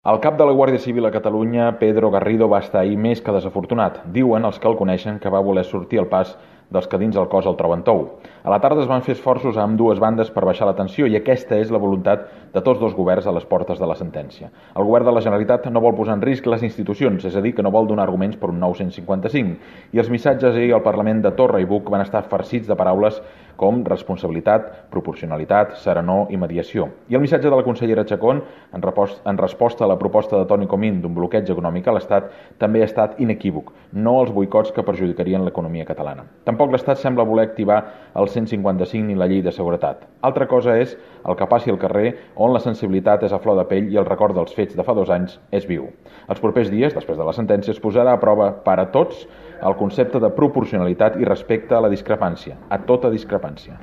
El cap de la Guàrdia Civil a Catalunya, Pedro Garrido, va estar ahir més que desafortunat. Diuen els que el coneixen que va voler sortir al pas dels que dins el cos el troben tou. A la tarda es van fer esforços a ambdues bandes per baixar la tensió i aquesta és la voluntat de tots dos governs a les portes de la sentència. El govern de la Generalitat no vol posar en risc les institucions, és a dir, que no vol donar arguments per un nou 155, i els missatges ahir al Parlament de Torra i Buc van estar farcits de paraules com responsabilitat, proporcionalitat, serenor i mediació. I el missatge de la consellera Chacón, en resposta a la proposta de Toni Comín d'un bloqueig econòmic a l'Estat, també ha estat inequívoc, no els boicots que perjudicarien l'economia catalana. Tampoc l'Estat sembla voler activar el 155 ni la llei de seguretat. Altra cosa és el que passi al carrer, on la sensibilitat és a flor de pell i el record dels fets de fa 2 anys és viu. Els propers dies, després de la sentència, es posarà a prova per a tots el concepte de proporcionalitat i respecte a la discrepància, a tota discrepància.